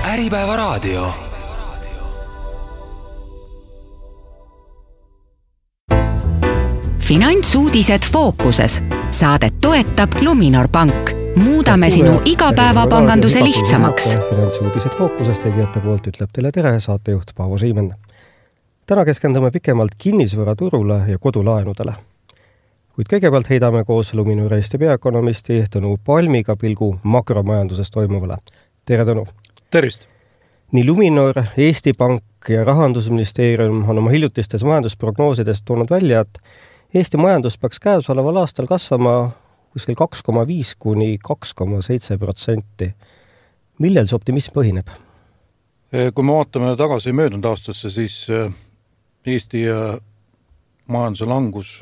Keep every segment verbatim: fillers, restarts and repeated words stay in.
Äripäeva raadio. Finantsuudised fookuses. Saadet toetab Luminor Pank. Muudame sinu igapäevapanganduse lihtsamaks. Finantsuudised fookuses tegijate poolt ütleb teile tere saatejuht Paavo Siimen. Täna keskendume pikemalt kinnisvaraturule ja kodulaenudele. Kuid kõigepealt heidame koos Luminor Eesti peaökonomisti Tõnu Palmiga pilgu makromajanduses toimuvale. Tere Tõnu! Tervist! Nii Luminor, Eesti Pank ja Rahandusministeerium on oma hiljutistes majandusprognoosidest toonud välja, et Eesti majandus peaks käesoleval aastal kasvama kuskil kaks koma viis kuni kaks koma seitse protsenti. Millel see optimism põhineb? Kui me vaatame tagasi möödunud aastasse, siis Eesti majanduse langus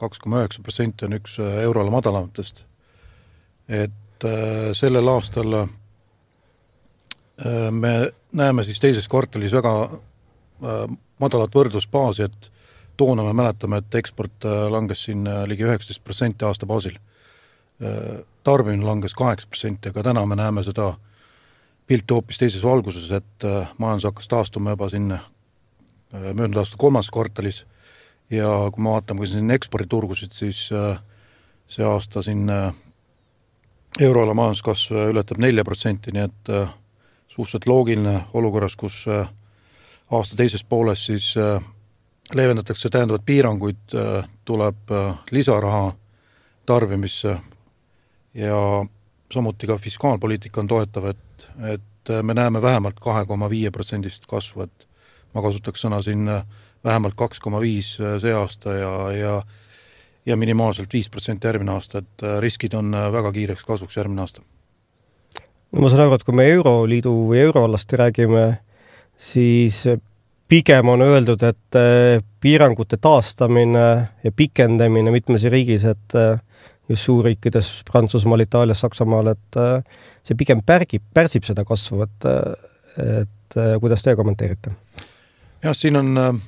kaks koma üheksa protsenti on üks euroala madalamatest. Et sellel aastal me näeme siis teises kvartalis väga madalat võrdlusbaasi, et toona me mäletame, et eksport langes siin ligi üheksateist protsenti aasta baasil. Tarbimine langes kaheksa protsenti, aga täna me näeme seda pilti hoopis teises valguses, et majandus hakkas taastuma juba sinna möödunud aasta kolmas kvartalis ja kui me vaatame siin eksporditurgusid, siis see aasta siin euroala majanduskasv ületab nelja protsenti, nii et suhteliselt loogiline olukorras, kus aasta teises pooles siis leevendatakse täiendavad piiranguid, tuleb lisaraha tarbimisse ja samuti ka fiskaalpoliitika on toetav, et, et me näeme vähemalt kahe koma viis protsendist kasvu, et ma kasutaks sõna siin vähemalt kaks koma viis see aasta ja, ja, ja minimaalselt viis protsenti järgmine aasta, et riskid on väga kiireks kasvuks järgmine aasta. No ma saan aru, et kui me Euroliidu või euroalast räägime, siis pigem on öeldud, et piirangute taastamine ja pikendamine mitmes riigis, et just suurriikides, Prantsusmaal, Itaalias, Saksamaal, et see pigem pärgib, pärsib seda kasvu, et, et kuidas te kommenteerite? Jah, siin on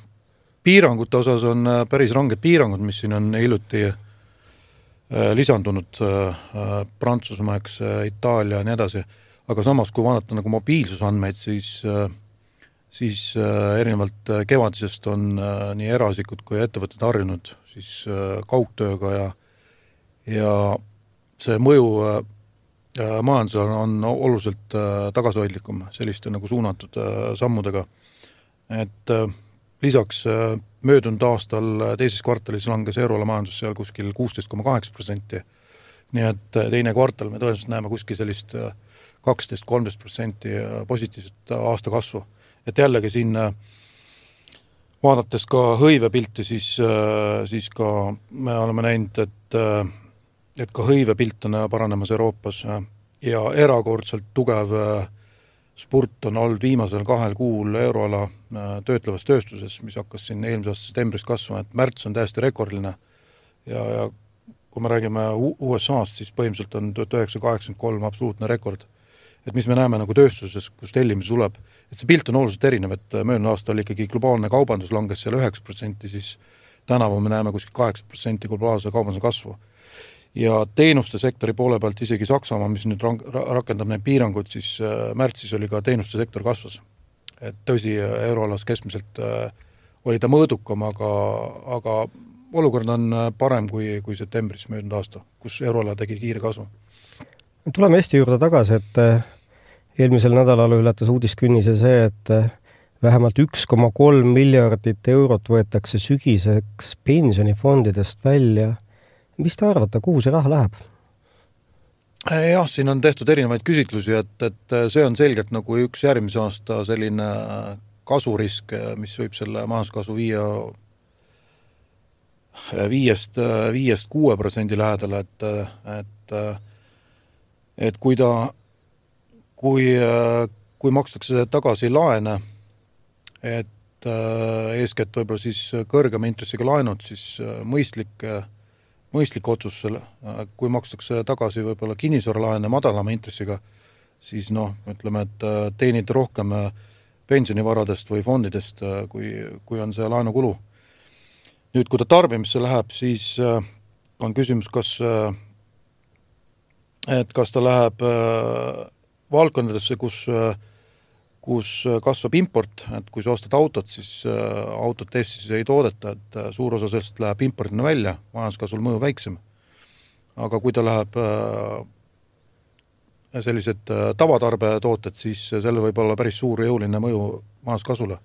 piirangute osas on päris ranged piirangud, mis siin on hiljuti lisandunud Prantsusmaa, eks, Itaalia ja nii edasi, aga samas kui vaadata nagu mobiilsusandmeid, siis siis erinevalt kevadisest on nii eraisikud kui ettevõtted harjunud siis kaugtööga ja, ja see mõju majandusel on oluliselt tagasihoidlikum selliste nagu suunatud sammudega. Et lisaks möödunud aastal teises kvartalis langes euroala majandus seal kuskil kuusteist koma kaheksa protsenti. Nii et teine kvartal me tõenäoliselt näeme kuskil sellist kaksteist kuni kolmteist protsenti positiivset aasta kasvu. Et jällegi siin vaadates ka hõivepilti, siis, siis ka me oleme näinud, et, et ka hõivepilt on paranemas Euroopas ja erakordselt tugev spurt on olnud viimasel kahel kuul euroala töötlevas tööstuses, mis hakkas siin eelmise aasta septembris kasvama, et märts on täiesti rekordiline ja, ja kui me räägime U S A-st, siis põhimõtteliselt on tuhat üheksasada kaheksakümmend kolm absoluutne rekord. Et mis me näeme nagu tööstuses, kus tellimus tuleb, et see pilt on oluliselt erinev, et möödunud aasta oli ikkagi globaalne kaubandus langes seal üheksa protsenti, siis tänavu me näeme kuskil kaheksa protsenti globaalse kaubanduse kasvu. Ja teenuste sektori poole pealt isegi Saksamaa, mis nüüd rakendab neid piirangud, siis märtsis oli ka teenuste sektor kasvas. Et tõsi, euroalas keskmiselt oli ta mõõdukam, aga, aga olukord on parem kui, kui septembris möödunud aasta, kus euroala tegi kiire kasvu. Tuleme Eesti juurde tagasi, et eelmisel nädalal ületas uudiskünnise see, et vähemalt üks koma kolm miljardit eurot võetakse sügiseks pensionifondidest välja. Mis te arvate, kuhu see raha läheb? Jah, siin on tehtud erinevaid küsitlusi, et, et see on selgelt nagu üks järgmise aasta selline kasurisk, mis võib selle majanduskasvu viia viiest, viiest kuue protsendi lähedale, et, et, et kui ta, kui, kui makstakse tagasi laene, et eeskätt võib-olla siis kõrgema intressiga laenud, siis mõistlik mõistlik otsus selle, kui makstakse tagasi võib-olla kinnisvaralaene madalama intressiga, siis noh, ütleme, et teenid rohkem pensionivaradest või fondidest, kui, kui on see laenukulu. Nüüd, kui ta tarbimisse läheb, siis on küsimus, kas, et kas ta läheb valdkondadesse, kus kus kasvab import, et kui sa ostad autot, siis autot Eestis ei toodeta, et suur osa sellest läheb impordina välja, majanduskasvul mõju väiksem. Aga kui ta läheb sellised tavatarbetooted, siis selle võib olla päris suur jõuline mõju majanduskasvule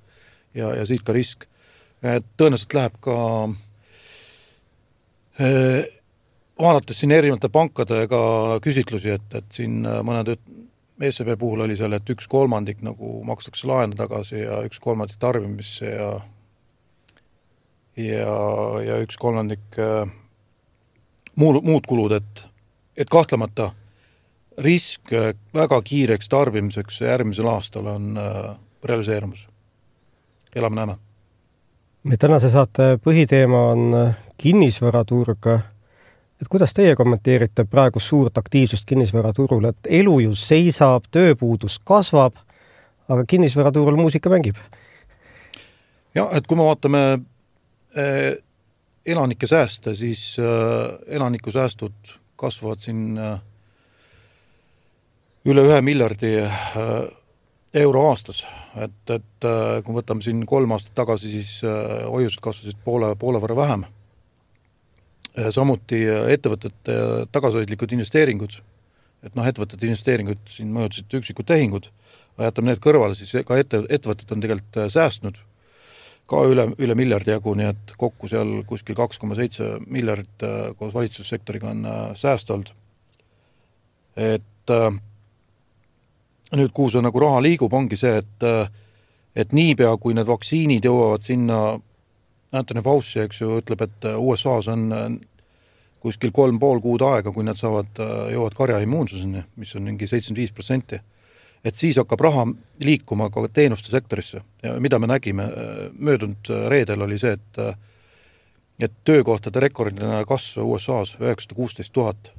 ja, ja siit ka risk. Et tõenäoliselt läheb ka eh, vaadates siin erinevate pankadega küsitlusi, et, et siin mõned E C B puhul oli seal, et üks kolmandik nagu makstakse laenu tagasi ja üks kolmandik tarbimisse ja ja, ja üks kolmandik äh, muud, muud kulud, et, et kahtlemata risk väga kiireks tarbimiseks järgmisel aastal on äh, realiseerumus. Elame näeme. Me tänase saate põhiteema on kinnisvaraturg. Et kuidas teie kommenteerite praegu suurt aktiivsust kinnisvaraturul, et elu ju seisab, tööpuudus kasvab, aga kinnisvaraturul muusika mängib? Ja, et kui me vaatame eh, elanike sääste, siis eh, elaniku säästud kasvavad siin eh, üle ühe miljardi eh, euro aastas. Et, et eh, kui võtame siin kolm aastat tagasi, siis eh, hoiused kasvasid poole, poole võrra vähem. Samuti ettevõtete tagasihoidlikud investeeringud, et noh, ettevõtete investeeringud siin mõjutasid üksikud tehingud, aga jätame need kõrvale, siis ka ette, ettevõtted on tegelikult säästnud ka üle, üle miljardi jagu, nii et kokku seal kuskil kaks koma seitse miljardit koos valitsussektoriga on sääst olnud. Et nüüd, kuhu see nagu raha liigub, ongi see, et, et niipea, kui need vaktsiinid jõuavad sinna Anthony Fauci, eks ju, ütleb, et U S A-s on kuskil kolm pool kuud aega, kui nad saavad, jõuavad karja immuunsuseni, mis on mingi seitsekümmend viis protsenti. Et siis hakkab raha liikuma ka teenuste sektorisse. Ja mida me nägime möödunud reedel oli see, et, et töökohtade rekordiline kasv U S A-s üheksasada kuusteist tuhat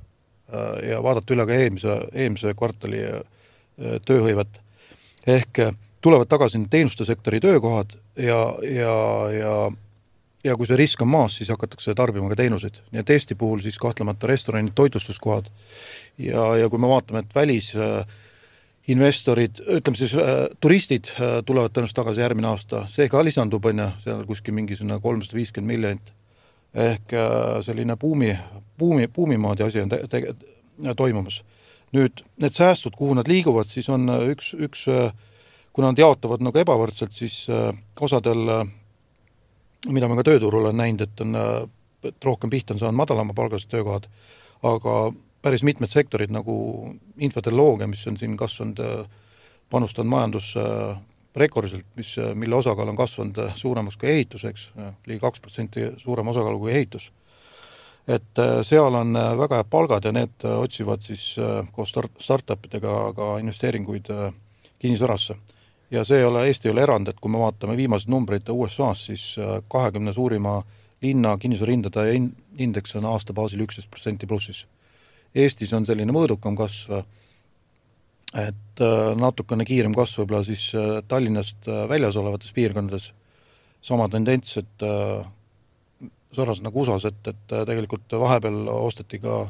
ja vaadata üle ka eelmise, eelmise kvartali tööhõivet. Ehk tulevad tagasi teenuste sektori töökohad ja, ja, ja ja kui see risk on maas, siis hakatakse tarbima ka teenuseid. Nii et Eesti puhul siis kahtlemata restoranid, toitlustuskohad ja, ja kui me vaatame, et välis investorid, ütleme siis turistid tulevad tõenäoliselt tagasi järgmine aasta, see ka lisandub, on ja seal kuskil mingi kolmsada viiskümmend miljonit ehk selline buumi, buumi, buumimaadi asi on te, te, toimumas. Nüüd need säästud, kuhu nad liiguvad, siis on üks, üks kui nad jaotavad nagu ebavõrdselt, siis osadel mida me ka tööturul on näinud, et on et rohkem pihta on saanud madalama palgased töökohad, aga päris mitmed sektorid nagu infotehnoloogia, mis on siin kasvanud, panustanud majandus rekordiliselt, mis, mille osakaal on kasvanud suuremaks kui ehituseks, ligi kaks protsenti suurem osakaal kui ehitus. Et seal on väga head palgad ja need otsivad siis koos startupidega ka investeeringuid kinnisvarasse. Ja see ei ole, Eesti ei ole erand, et kui me vaatame viimased numbreid U S A-s, siis kahekümne suurima linna kinnisvarahindade indeks on aasta baasil üksteist protsenti plussis. Eestis on selline mõõdukam kasv, et natukene kiirem kasv võib-olla siis Tallinnast väljas olevates piirkondades. Sama tendents, et sarnaselt nagu U S A-s, et, et tegelikult vahepeal osteti ka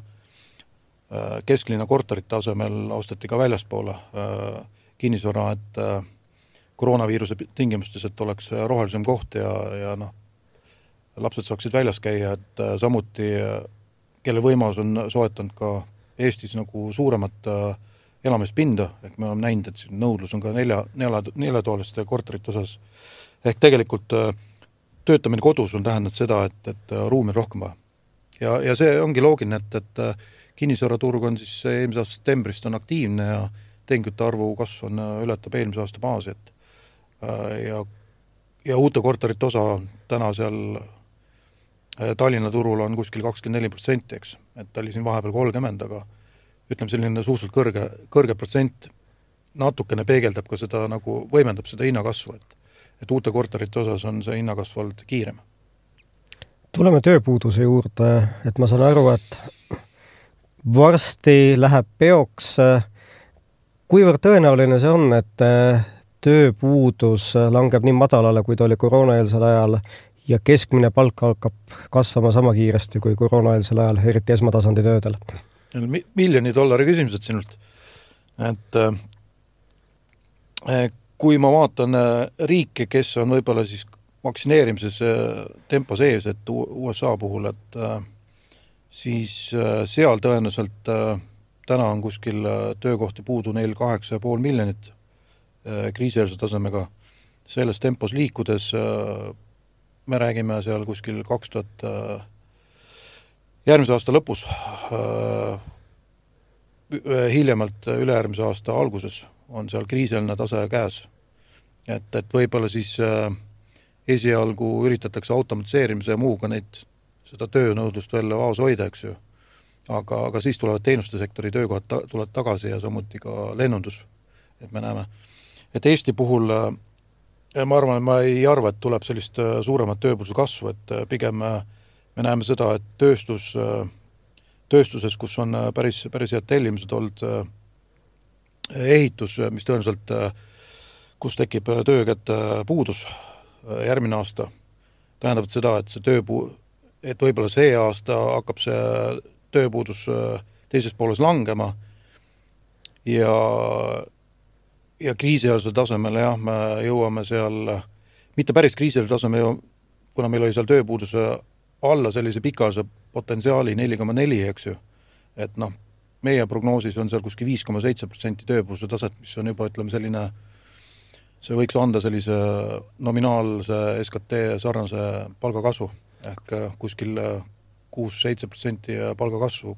kesklinna korterite asemel, osteti ka väljaspoole kinnisvara, et koroonaviiruse tingimustes, et oleks rohelisem koht ja, ja noh, lapsed saaksid väljas käia, et samuti, kelle võimalus on soetanud ka Eestis nagu suuremat elamispinda, ehk me oleme näinud, et nõudlus on ka nelja, nelja, neljatooliste korterite osas. Ehk tegelikult töötamine kodus on tähendanud seda, et, et ruumi on rohkem vaja. Ja, ja see ongi loogiline, et, et kinnisvaraturg on siis eelmise aasta septembrist on aktiivne ja tehingute arvu kasv on ületab eelmise aasta baasi, et ja, ja uute korterite osa täna seal Tallinna turul on kuskil kakskümmend neli protsenti, eks, et ta oli siin vahepeal kolmkümmend, aga ütleme selline suhteliselt kõrge, kõrge protsent natukene peegeldab ka seda, nagu võimendab seda hinnakasvu, et, et uute korterite osas on see hinnakasv olnud kiirem. Tuleme tööpuuduse juurde, et ma saan aru, et varsti läheb peoks. Kuivõrd tõenäoline see on, et tööpuudus langeb nii madalale, kui ta oli koroonaeelsel ajal ja keskmine palk hakkab kasvama sama kiiresti kui koroonaeelsel ajal, eriti esmatasandi töödel? Miljoni dollari küsimused sinult. Et kui ma vaatan riike, kes on võib-olla siis vaktsineerimises tempo sees, et U S A puhul, et siis seal tõenäoliselt täna on kuskil töökohti puudu neil kaheksa ja pool miljonit kriisieelse tasemega. Selles tempos liikudes me räägime seal kuskil kaks tuhat järgmise aasta lõpus, hiljemalt ülejärgmise aasta alguses on seal kriiseline tase käes. Et, et võib-olla siis esialgu üritatakse automatiseerimise ja muuga neid, seda töönõudlust veel vaos hoida, eks ju. Aga, aga siis tulevad teenuste sektori töökohad ta, tulevad tagasi ja samuti ka lennundus, et me näeme. Et Eesti puhul ma arvan, et ma ei arva, et tuleb sellist suuremat tööpuuduse kasvu, et pigem me näeme seda, et tööstus, tööstuses, kus on päris, päris head tellimused olnud, ehitus, mis tõenäoliselt, kus tekib töökäte puudus järgmine aasta, tähendab seda, et see tööpuu, et võib-olla see aasta hakkab see tööpuudus teises pooles langema ja, ja kriisialusel tasemel, jah, me jõuame seal, mitte päris kriisialusel tasemel, kuna meil oli seal tööpuuduse alla sellise pikaalise potentsiaali neli koma neli, eks ju, et noh, meie prognoosis on seal kuskil viis koma seitse protsenti tööpuuduse taset, mis on juba, ütleme, selline, see võiks anda sellise nominaalse S K T sarnase palgakasvu, ehk kuskil kuus seitse protsenti palgakasvu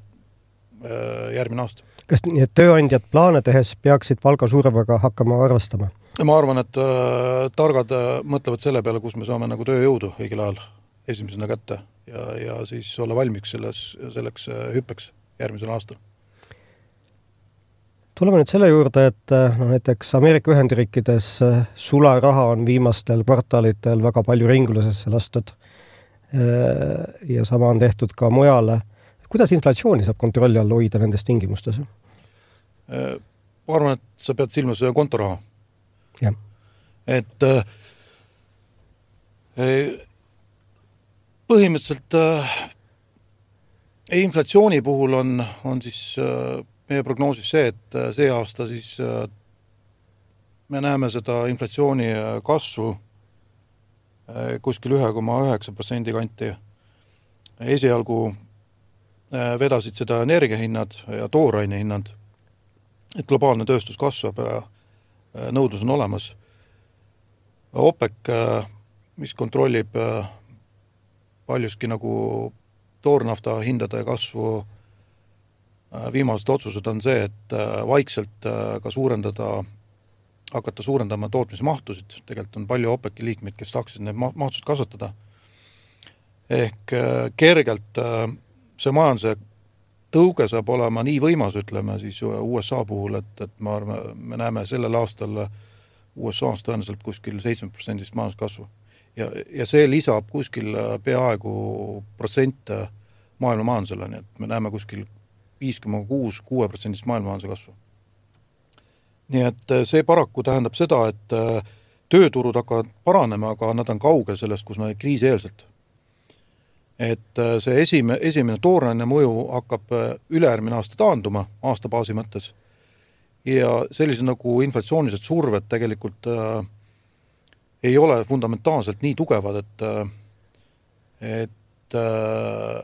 järgmine aasta. Kas nii, et tööandjad plaane tehes peaksid palga suuremaga hakkama arvestama? Ma arvan, et targad mõtlevad selle peale, kus me saame nagu tööjõudu õigel ajal esimesena kätte ja, ja siis olla valmiks selles, selleks hüppeks järgmisel aastal. Tuleme nüüd selle juurde, et no, näiteks Ameerika Ühendriikides sularaha on viimastel kvartalitel väga palju ringlusesse lastud ja sama on tehtud ka mujale. Kuidas inflatsiooni saab kontrolli all hoida nendes tingimustes? Ma arvan, et sa pead silmas kontoraha. Ja. Et põhimõtteliselt inflatsiooni puhul on, on siis meie prognoosis see, et see aasta siis me näeme seda inflatsiooni kasvu kuskil üks koma üheksa protsendi kanti. Esialgu vedasid seda energiahinnad ja tooraine hinnad, et globaalne tööstus kasvab ja nõudlus on olemas. OPEC, mis kontrollib paljuski nagu toornafta hindade kasvu, viimased otsused on see, et vaikselt ka suurendada, hakata suurendama tootmismahtusid. Tegelikult on palju OPEC liikmeid, kes tahaksid need mahtused kasvatada. Ehk kergelt see majanduse tõuge saab olema nii võimas, ütleme siis U S A puhul, et, et ma arvan, me näeme sellel aastal U S A-s tõenäoliselt kuskil seitse protsenti majanduskasvu. Ja, ja see lisab kuskil peaaegu protsent maailma majandusele, nii et me näeme kuskil viis koma kuus protsenti maailma majanduse kasvu. Nii et see paraku tähendab seda, et tööturud hakkavad paranema, aga nad on kaugel sellest, kus nad kriisieelselt. Et see esime, esimene tooraine mõju hakkab ülejärgmine aasta taanduma aastabaasi mõttes ja sellised nagu inflatsioonised surved tegelikult äh, ei ole fundamentaalselt nii tugevad, et, et äh,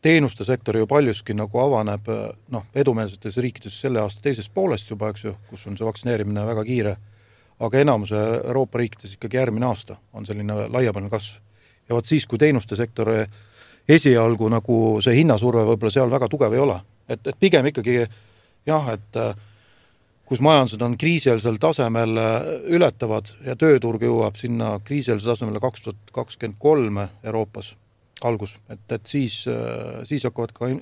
teenuste sektori ju paljuski nagu avaneb noh, edumeelsetes riikides selle aasta teisest poolest juba, eks ju, kus on see vaktsineerimine väga kiire, aga enamuse Euroopa riikides ikkagi järgmine aasta on selline laiapõhjaline kasv. Ja võt siis, kui teenuste sektori esialgu nagu see hinnasurve võib-olla seal väga tugev ei ole. Et, et pigem ikkagi jah, et kus majandused on kriisieelsel tasemel ületavad ja tööturg jõuab sinna kriisieelsel tasemel kaks tuhat kakskümmend kolm Euroopas algus, et, et siis, siis hakkavad ka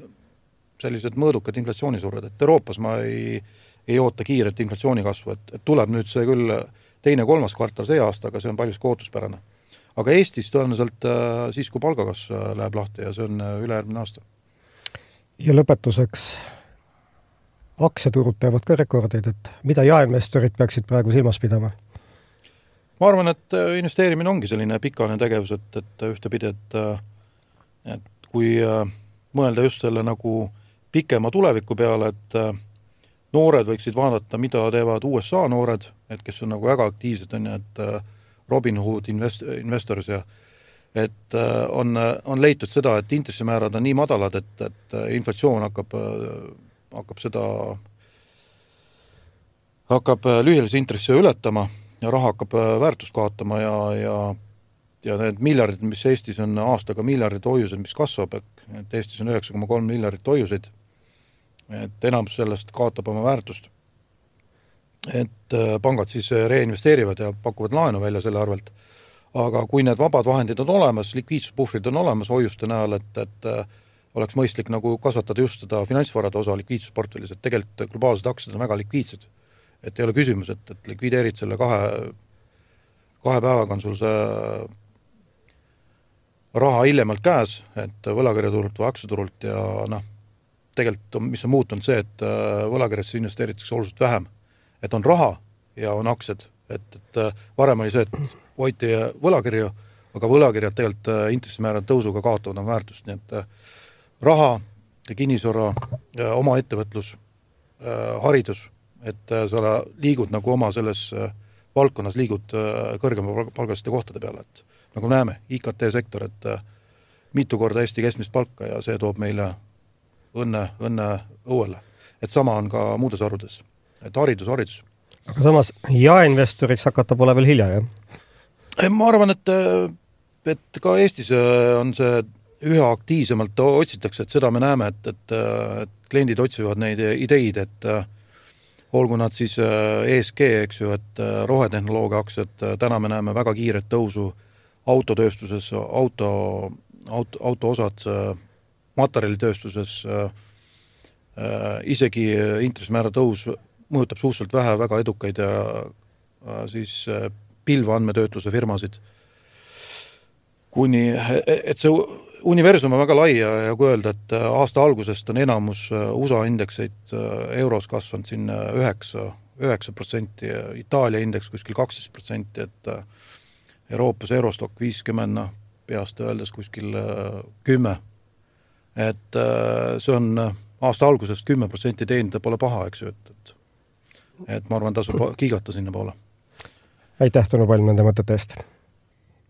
sellised mõõdukad inflatsioonisurved, et Euroopas ma ei, ei oota kiiret inflatsiooni kasvu, et, et tuleb nüüd see küll teine kolmas kvartal see aasta, aga see on paljus ootuspärane. Aga Eestis tõenäoliselt siis, kui palgakas läheb lahti ja see on ülejärgmine aasta. Ja lõpetuseks aktsiaturud teevad ka rekordeid, et mida jaeinvestorid peaksid praegu silmas pidama? Ma arvan, et investeerimine ongi selline pikaajaline tegevus, et, et ühtepidi, et, et kui mõelda just selle nagu pikema tuleviku peale, et noored võiksid vaadata, mida teevad U S A noored, et kes on nagu väga aktiivsed, on ju, et Robinhood invest-, investors ja et on, on leitud seda, et intressimäärad on nii madalad, et, et inflatsioon hakkab, hakkab seda hakkab lühiajalise intressi ületama ja raha hakkab väärtust kaotama ja, ja, ja need miljardid, mis Eestis on aastaga miljardid hoiused, mis kasvab, et Eestis on üheksa koma kolm miljardit hoiuseid, et enamus sellest kaotab oma väärtust. Et pangad siis reinvesteerivad ja pakuvad laenu välja selle arvelt. Aga kui need vabad vahendid on olemas, likviidsuspuhvrid on olemas hoiuste näol, et, et oleks mõistlik nagu kasvatada just seda finantsvarade osa likviidsusportfellis, et tegelikult globaalsed aktsiad on väga likviidsed. Et ei ole küsimus, et, et likvideerid selle kahe, kahe päevaga on sul see raha hiljemalt käes, et võlakirjaturult või aktsiaturult ja noh, tegelikult on, mis on muutunud see, et võlakirjasse investeeritakse oluliselt vähem. Et on raha ja on aktsiad, et, et varem oli see, et hoiti võlakirju, aga võlakirjad tegelikult intressimäärade tõusuga kaotavad on väärtust, nii et raha ja kinnisvara, oma ettevõtlus, haridus, et sa liigud nagu oma selles valdkonnas liigud kõrgema palgaliste kohtade peale, et nagu näeme, I K T sektor, et mitu korda Eesti keskmist palka ja see toob meile õnne, õnne õuele. Et sama on ka muudes harudes, et haridus, haridus. Aga samas jaeinvestoriks hakata pole veel hilja, jah? Ma arvan, et, et ka Eestis on see üha aktiivsemalt otsitakse, et seda me näeme, et, et, et kliendid otsivad neid ideid, et olgu nad siis E S G, eks ju, et rohetehnoloogia aktsiad, täna me näeme väga kiiret tõusu autotööstuses, auto, auto, auto osad, materjalitööstuses, isegi intressimäära tõus mõjutab suhteliselt vähe väga edukaid ja siis pilveandmetöötluse firmasid. Kuni, et see universum on väga lai ja, ja kui öelda, et aasta algusest on enamus U S A indekseid euros kasvanud siin üheksa protsenti, Itaalia indeks kuskil kaksteist protsenti, et Euroopas Eurostock viiskümmend, peast öeldes kuskil kümme. Et see on aasta algusest kümme protsenti teenida pole paha, eks ju, et, et, et ma arvan, tasub kiigata sinna poole. Aitäh, Tõnu Palm, nende mõtete eest.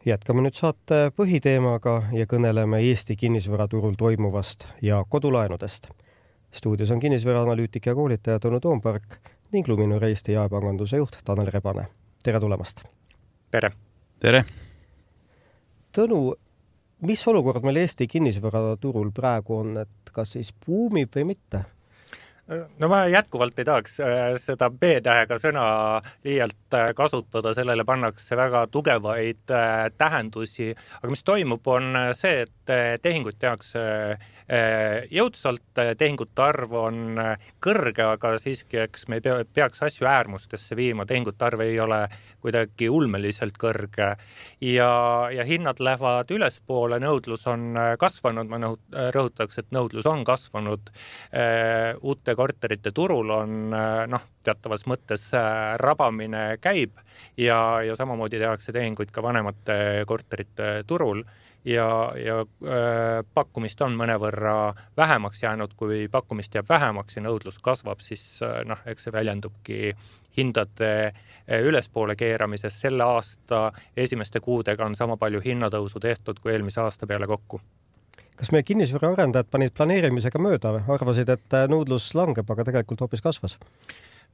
Jätkame nüüd saate põhiteemaga ja kõneleme Eesti kinnisvaraturul toimuvast ja kodulaenudest. Stuudios on kinnisvaraanalüütik ja koolitaja Tõnu Toompark ning Luminor Eesti jaepanganduse juht Tanel Rebane. Tere tulemast! Tere! Tere! Tõnu, mis olukord meil Eesti kinnisvaraturul praegu on, et kas siis buumib või mitte? No ma jätkuvalt ei tahaks seda B-tähega sõna liialt kasutada, sellele pannakse väga tugevaid tähendusi, aga mis toimub on see, et tehingut tehakse jõudsalt, tehingute arv on kõrge, aga siiski eks me ei peaks asju äärmustesse viima, tehingute arv ei ole kuidagi ulmeliselt kõrge ja, ja hinnad lähevad ülespoole, nõudlus on kasvanud, ma rõhutaks, et nõudlus on kasvanud, uute korterite turul on noh, teatavas mõttes rabamine käib ja, ja samamoodi tehakse tehinguid ka vanemate korterite turul ja, ja äh, pakkumist on mõnevõrra vähemaks jäänud, kui pakkumist jääb vähemaks ja nõudlus kasvab, siis noh, eks see väljendubki hindade ülespoole keeramises. Selle aasta esimeste kuudega on sama palju hinnatõusu tehtud kui eelmise aasta peale kokku. Kas meie kinnisvara arendajad panid planeerimisega mööda või? Arvasid, et nõudlus langeb, aga tegelikult hoopis kasvas?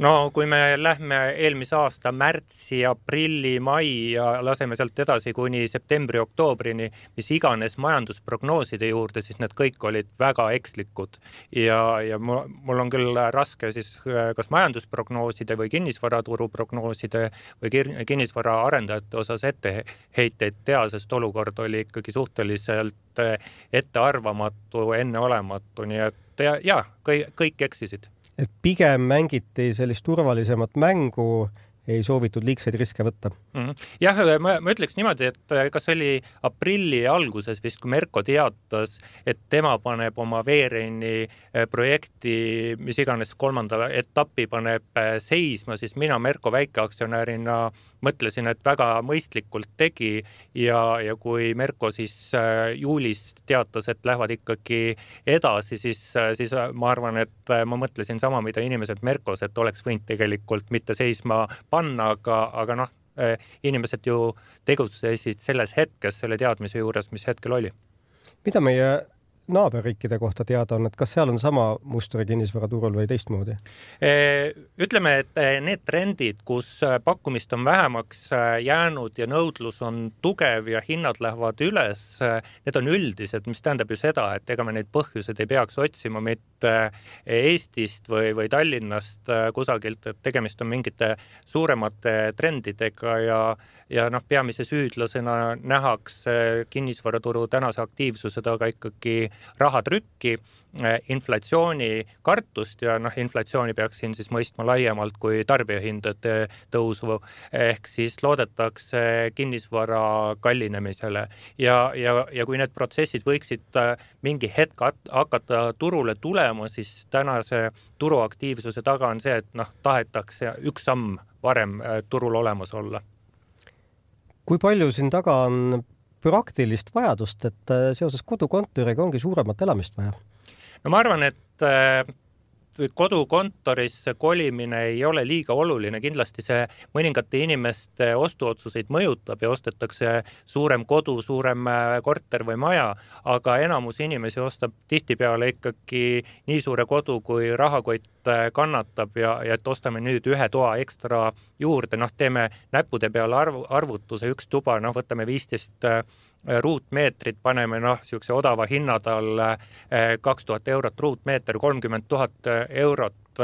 No kui me lähme eelmise aasta märtsi, aprilli, mai ja laseme sealt edasi kuni septembri, oktoobrini, mis iganes majandusprognooside juurde, siis need kõik olid väga ekslikud. Ja, ja mul on küll raske siis kas majandusprognooside või kinnisvaraturu prognooside või kinnisvara arendajate osas etteheiteid teha, sest olukord oli ikkagi suhteliselt ettearvamatu, enneolematu, nii et ja, ja kõik, kõik eksisid. Et pigem mängiti sellist turvalisemat mängu ei soovitud liigseid riske võtta. Mm-hmm. Jah, ma, ma ütleks niimoodi, et kas oli aprilli alguses vist, kui Merko teatas, et tema paneb oma veereini projekti, mis iganes kolmanda etappi paneb seisma, siis mina Merko väikeaktsionärina mõtlesin, et väga mõistlikult tegi ja, ja kui Merko siis juulis teatas, et lähevad ikkagi edasi, siis, siis ma arvan, et ma mõtlesin sama, mida inimesed Merkos, et oleks võinud tegelikult mitte seisma panna, aga, aga noh, inimesed ju tegutsesid selles hetkes selle teadmise juures, mis hetkel oli. Mida meie naaberriikide kohta teada on, et kas seal on sama mustri kinnisvaraturul või teistmoodi? Ütleme, et need trendid, kus pakkumist on vähemaks jäänud ja nõudlus on tugev ja hinnad lähevad üles, need on üldised, mis tähendab ju seda, et ega me neid põhjused ei peaks otsima mitte Eestist või, või Tallinnast kusagilt, et tegemist on mingite suuremate trendidega ja, ja noh, peamise süüdlasena nähakse kinnisvaraturu tänase aktiivsuse taga ikkagi rahatrükki, inflatsiooni kartust ja noh, inflatsiooni peaks siin siis mõistma laiemalt kui tarbijahindade tõusu, ehk siis loodetakse kinnisvara kallinemisele ja, ja, ja kui need protsessid võiksid mingi hetk hakata turule tulema, siis tänase turuaktiivsuse taga on see, et noh, tahetakse üks samm varem turul olemas olla. Kui palju siin taga on praktilist vajadust, et seoses kodukontoriga ongi suuremat elamist vaja? No ma arvan, et kodukontorisse kolimine ei ole liiga oluline, kindlasti see mõningate inimeste ostuotsuseid mõjutab ja ostetakse suurem kodu, suurem korter või maja, aga enamus inimesi ostab tihtipeale ikkagi nii suure kodu, kui rahakott kannatab ja, ja et ostame nüüd ühe toa ekstra juurde, noh teeme näppude peale arv, arvutuse, üks tuba, noh võtame viisteist ruutmeetrit, paneme noh, siukse odava hinnadal kaks tuhat eurot ruutmeeter, kolmkümmend tuhat eurot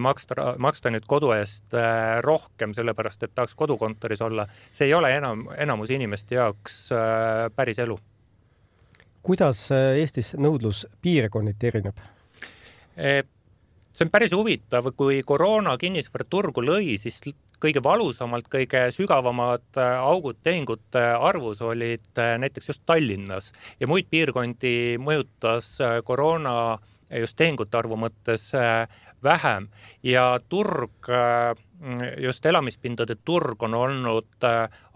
maksta, maksta nüüd kodu eest rohkem, sellepärast et tahaks kodukontoris olla. See ei ole enam, enamus inimeste jaoks päris elu. Kuidas Eestis nõudlus piirkonniti erineb? See on päris huvitav, kui koroona kinnisvaraturgu lõi, siis kõige valusamalt, kõige sügavamad augud tehingute arvus olid näiteks just Tallinnas ja muid piirkondi mõjutas koroona just tehingute arvu mõttes vähem ja turg, just elamispindade turg on olnud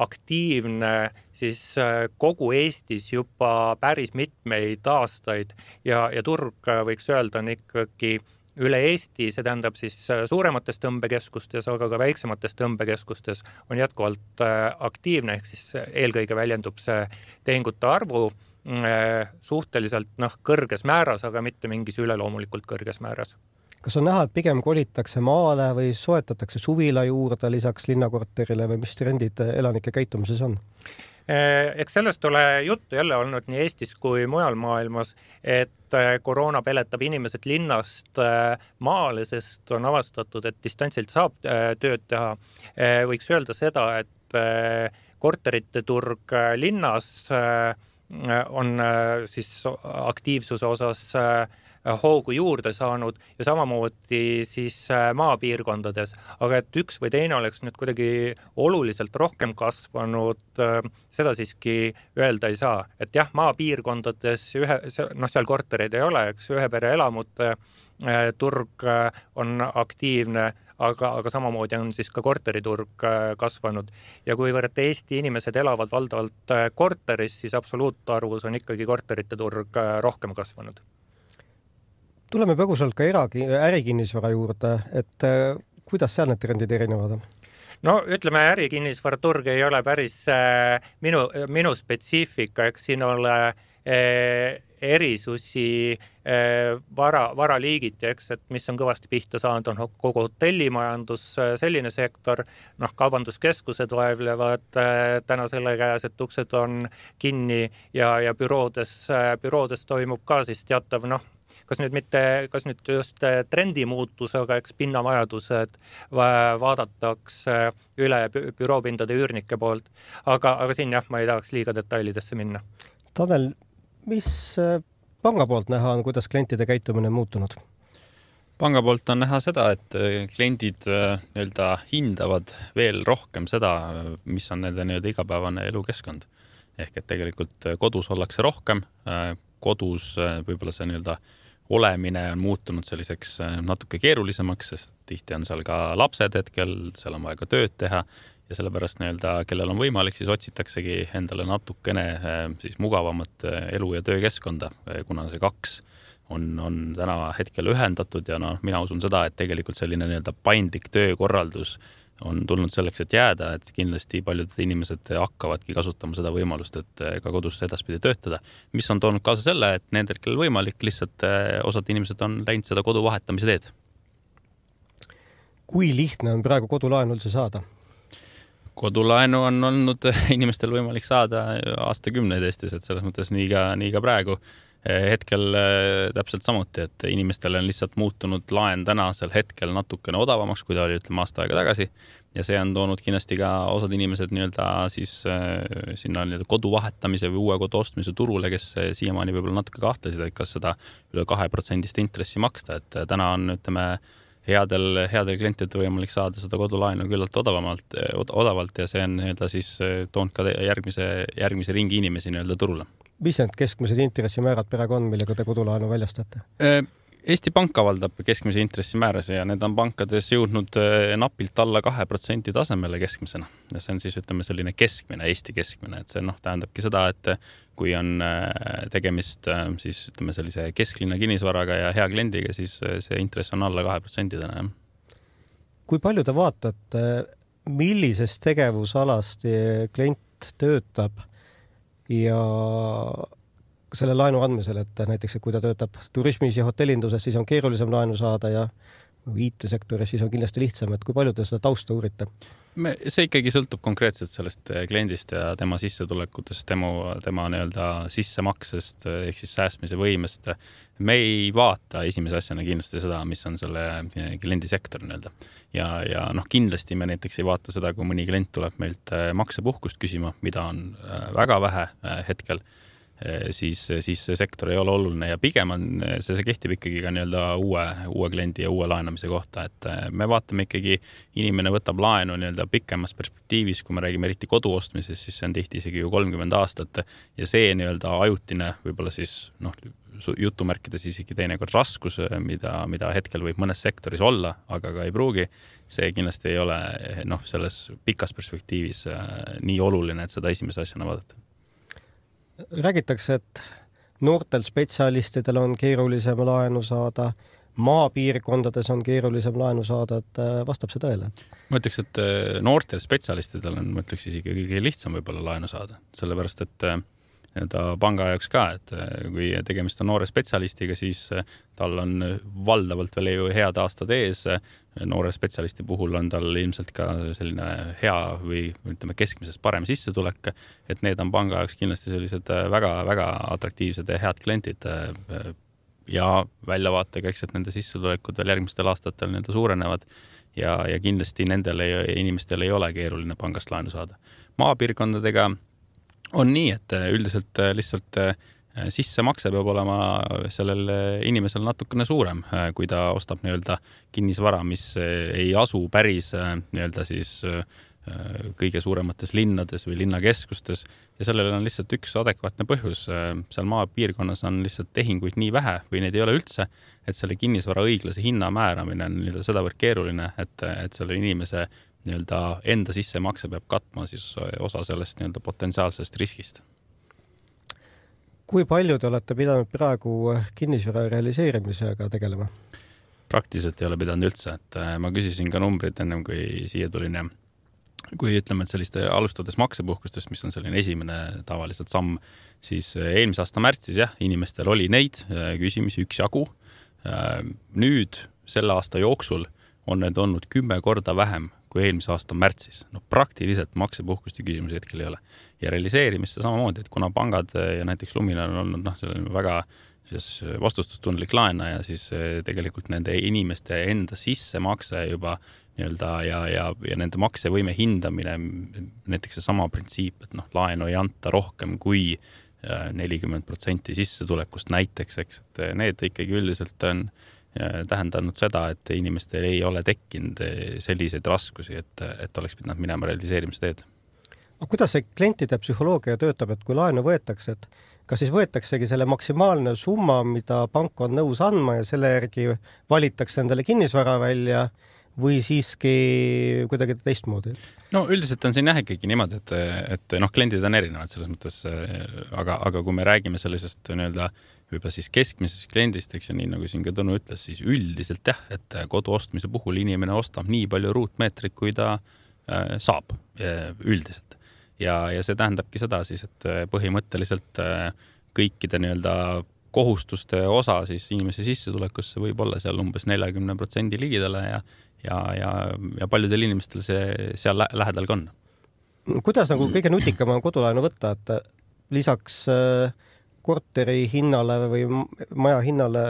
aktiivne siis kogu Eestis juba päris mitmeid aastaid ja, ja turg võiks öelda on ikkagi üle Eesti, see tähendab siis suuremates tõmbekeskustes, aga ka väiksemates tõmbekeskustes on jätkuvalt aktiivne, ehk siis eelkõige väljendub see tehingute arvu suhteliselt noh, kõrges määras, aga mitte mingis üleloomulikult kõrges määras. Kas on näha, et pigem kolitakse maale või soetatakse suvila juurde lisaks linnakorterile või mis trendid elanike käitumises on? Eks sellest ole juttu jälle olnud nii Eestis kui mujal maailmas, et koroona peletab inimesed linnast maale, sest on avastatud, et distantsilt saab tööd teha. Võiks öelda seda, et korterite turg linnas on siis aktiivsuse osas hoogu juurde saanud ja samamoodi siis maapiirkondades, aga et üks või teine oleks nüüd kuidagi oluliselt rohkem kasvanud, seda siiski öelda ei saa. Et jah, maapiirkondades ühe, noh, seal kortereid ei ole, eks ühe pere elamute turg on aktiivne, aga, aga samamoodi on siis ka korteriturg kasvanud. Ja kuivõrd Eesti inimesed elavad valdavalt korteris, siis absoluutarvus on ikkagi korterite turg rohkem kasvanud. Tuleme põgusalt ka eragi, ärikinnisvara juurde, et kuidas seal need trendid erinevad on? No ütleme, ärikinnisvaraturg ei ole päris minu, minu spetsiifika, eks siin ole erisusi vara, varaliigiti, eks, et mis on kõvasti pihta saanud, on kogu hotellimajandus, selline sektor, noh, kaubanduskeskused vaevlevad täna selle käes, et uksed on kinni ja, ja büroodes, büroodes toimub ka siis teatav, noh, kas nüüd mitte, kas nüüd just trendimuutus, aga eks pinnavajadused vaadatakse üle büroopindade üürnike poolt. Aga, aga siin jah, ma ei tahaks liiga detailidesse minna. Tanel, mis panga poolt näha on, kuidas klientide käitumine on muutunud? Panga poolt on näha seda, et kliendid nii-öelda hindavad veel rohkem seda, mis on nende nii-öelda igapäevane elukeskkond. Ehk et tegelikult kodus ollakse rohkem, kodus võib-olla see nii-öelda olemine on muutunud selliseks natuke keerulisemaks, sest tihti on seal ka lapsed hetkel, seal on vaja ka tööd teha ja sellepärast nii-öelda, kellel on võimalik, siis otsitaksegi endale natukene siis mugavamat elu- ja töökeskkonda, kuna see kaks on, on täna hetkel ühendatud ja no, mina usun seda, et tegelikult selline nii-öelda paindlik töökorraldus on tulnud selleks, et jääda, et kindlasti paljud inimesed hakkavadki kasutama seda võimalust, et ka kodus edaspidi töötada, mis on toonud kaasa selle, et nendel, kellel võimalik, lihtsalt osad inimesed on läinud seda kodu vahetamise teed. Kui lihtne on praegu kodulaenu üldse saada? Kodulaenu on olnud inimestel võimalik saada aastakümneid Eestis, et selles mõttes nii ka, nii ka praegu. Hetkel täpselt samuti, et inimestel on lihtsalt muutunud laen tänasel hetkel natukene odavamaks, kui ta oli ütleme aasta aega tagasi ja see on toonud kindlasti ka osad inimesed nii-öelda siis sinna nii-öelda kodu vahetamise või uue kodu ostmise turule, kes siiamaani võib-olla natuke kahtlesid, et kas seda üle kahe protsendist intressi maksta, et täna on ütleme headel, headel klientidel võimalik saada seda kodulaenu küllalt odavamalt, odavalt ja see on nii-öelda siis toonud ka järgmise, järgmise ringi inimesi nii-öelda turule. Mis need keskmised intressimäärad praegu on, millega te kodulaenu väljastate? Eesti Pank avaldab keskmise intressimääras ja need on pankades jõudnud napilt alla kahe protsendi tasemele keskmisena. Ja see on siis ütleme selline keskmine, Eesti keskmine, et see noh, tähendabki seda, et kui on tegemist siis ütleme sellise kesklinna kinnisvaraga ja hea kliendiga, siis see intress on alla kahe protsendi täna. Kui palju te vaatate, millisest tegevusalast klient töötab ja selle laenu andmisel, et näiteks et kui ta töötab turismis ja hotellinduses, siis on keerulisem laenu saada ja I T-sektoris siis on kindlasti lihtsam, et kui palju te seda tausta uurite? Me, see ikkagi sõltub konkreetselt sellest kliendist ja tema sissetulekutest, tema, tema nii-öelda sissemaksest ehk siis säästmise võimest. Me ei vaata esimese asjana kindlasti seda, mis on selle kliendisektor nii-öelda. Ja, ja noh, kindlasti me näiteks ei vaata seda, kui mõni klient tuleb meilt maksepuhkust küsima, mida on väga vähe hetkel, siis, siis see sektor ei ole oluline ja pigem on, see, see kehtib ikkagi ka nii-öelda uue, uue kliendi ja uue laenamise kohta, et me vaatame ikkagi, inimene võtab laenu nii-öelda pikemas perspektiivis, kui me räägime eriti kodu ostmises, siis see on tihti isegi ju kolmkümmend aastat ja see nii-öelda ajutine võib-olla siis noh, jutumärkides isegi teinekord raskus, mida, mida hetkel võib mõnes sektoris olla, aga ka ei pruugi, see kindlasti ei ole noh, selles pikas perspektiivis nii oluline, et seda esimese asjana vaadata. Räägitakse, et noortel spetsialistidel on keerulisem laenu saada, maapiirkondades on keerulisem laenu saada, et vastab see tõele? Ma ütleks, et noortel spetsialistidel on, ma ütleks isegi kõige lihtsam võib-olla laenu saada, sellepärast, et ta panga jaoks ka, et kui tegemist on noore spetsialistiga, siis tal on valdavalt veel ju head aastad ees. Noore spetsialisti puhul on tal ilmselt ka selline hea või ütleme keskmisest parem sissetulek, et need on panga jaoks kindlasti sellised väga, väga atraktiivsed ja head klientid ja väljavaatega, eks, et nende sissetulekud veel järgmistel aastatel nende suurenevad ja, ja kindlasti nendel ei, inimestel ei ole keeruline pangast laenu saada. Maapiirkondadega on nii, et üldiselt lihtsalt sissemakse peab olema sellel inimesel natukene suurem, kui ta ostab nii-öelda kinnisvara, mis ei asu päris nii-öelda siis kõige suuremates linnades või linnakeskustes ja sellel on lihtsalt üks adekvaatne põhjus. Seal maapiirkonnas on lihtsalt tehinguid nii vähe või neid ei ole üldse, et selle kinnisvara õiglase hinna määramine on nii-öelda sedavõrd keeruline, et, et selle inimese nii-öelda enda sissemakse peab katma siis osa sellest nii-öelda potentsiaalsest riskist. Kui palju te olete pidanud praegu kinnisvara realiseerimisega tegelema? Praktiliselt ei ole pidanud üldse, et ma küsisin ka numbrid ennem kui siia tulin ja kui ütleme, et selliste alustades maksepuhkustest, mis on selline esimene tavaliselt samm, siis eelmise aasta märtsis jah, inimestel oli neid küsimisi üks jagu. Nüüd selle aasta jooksul on need olnud kümme korda vähem kui eelmise aasta märtsis. No praktiliselt maksepuhkuste küsimusi hetkel ei ole. Ja realiseerimisse samamoodi, et kuna pangad ja näiteks Luminor on olnud noh, väga vastutustundlik laenaja, siis tegelikult nende inimeste enda sissemakse juba nii-öelda ja, ja, ja nende maksevõime hindamine, näiteks see sama printsiip, et noh, laenu ei anta rohkem kui nelikümmend protsenti sissetulekust näiteks, eks, et need ikkagi üldiselt on tähendanud seda, et inimestel ei ole tekkinud selliseid raskusi, et, et oleks pidanud minema realiseerimisteed. No, kuidas see klientide psühholoogia töötab, et kui laenu võetakse, et kas siis võetaksegi selle maksimaalne summa, mida pank on nõus andma ja selle järgi valitakse endale kinnisvara välja või siiski kuidagi teistmoodi? No üldiselt on siin jah ikkagi niimoodi, et, et noh, kliendid on erinevad selles mõttes, aga, aga kui me räägime sellisest nii-öelda juba siis keskmisest kliendist, eks ja nii nagu siin ka Tõnu ütles, siis üldiselt jah, et kodu ostmise puhul inimene ostab nii palju ruutmeetrit, kui ta äh, saab üldiselt. Ja, ja see tähendabki seda siis, et põhimõtteliselt äh, kõikide nii-öelda kohustuste osa siis inimese sissetulekusse võib olla seal umbes nelikümmend protsenti ligidale ja ja, ja, ja paljudel inimestel see seal lä lähedal ka on. Kuidas nagu kõige nutikam on kodulaenu võtta, et lisaks korteri hinnale või maja hinnale,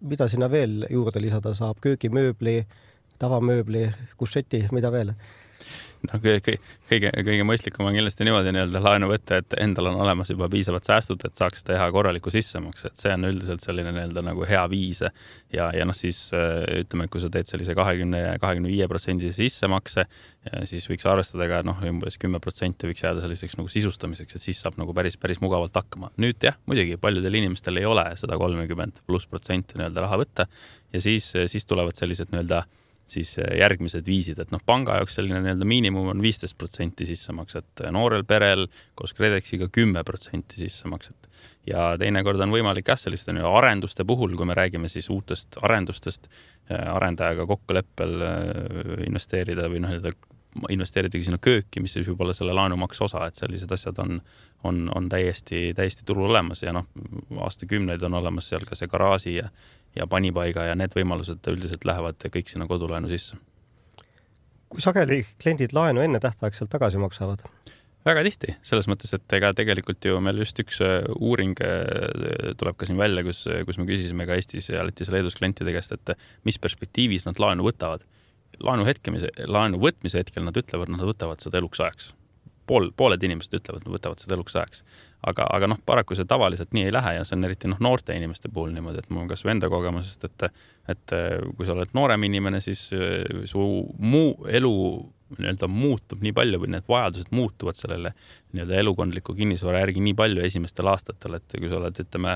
mida sinna veel juurde lisada saab, köögimööbli, tavamööbli, kusseti, mida veel? No, kõige, kõige, kõige mõistlikum on kindlasti niimoodi nii-öelda laenu võtta, et endal on olemas juba piisavad säästud, et saaks teha korraliku sissemakse, et see on üldiselt selline nii-öelda nagu hea viis ja, ja noh siis ütleme, kui sa teed sellise kahekümne ja kahekümne viie protsendi sissemakse, siis võiks arvestada ka noh, umbes kümme protsenti võiks jääda selliseks nagu sisustamiseks, et siis saab nagu päris, päris mugavalt hakkama. Nüüd jah, muidugi paljudel inimestel ei ole sada kolmkümmend pluss protsenti nii-öelda raha võtta ja siis, siis tulevad sellised nii-öelda siis järgmised viisid, et noh, panga jaoks selline nii-öelda miinimum on viisteist protsenti sissemakset, noorel perel koos Kredexiga kümme protsenti sissemakset ja teinekord on võimalik jah, selliste arenduste puhul, kui me räägime siis uutest arendustest, arendajaga kokkuleppel investeerida või noh, investeeridagi sinna kööki, mis siis võib olla selle laenumaks osa, et sellised asjad on, on, on täiesti, täiesti turul olemas ja noh, aastakümneid on olemas seal ka see garaaži ja ja panipaiga ja need võimalused üldiselt lähevad kõik sinna kodulaenu sisse. Kui sageli kliendid laenu enne tähtaegselt tagasi maksavad? Väga tihti, selles mõttes, et ega tegelikult ju meil just üks uuring tuleb ka siin välja, kus, kus me küsisime ka Eestis ja Lätis ja Leedus klientide käest, et mis perspektiivis nad laenu võtavad. Laenu, hetkemise, laenu võtmise hetkel nad ütlevad, nad võtavad seda eluks ajaks. Pool, pooled inimesed ütlevad, nad võtavad seda eluks ajaks. Aga, aga noh, paraku see tavaliselt nii ei lähe ja see on eriti noh, noorte inimeste puhul niimoodi, et mul on kas enda kogemusest, et, et kui sa oled noorem inimene, siis su muu elu nii-öelda muutub nii palju või need vajadused muutuvad sellele nii-öelda elukondliku kinnisvara järgi nii palju esimestel aastatel, et kui sa oled, ütleme,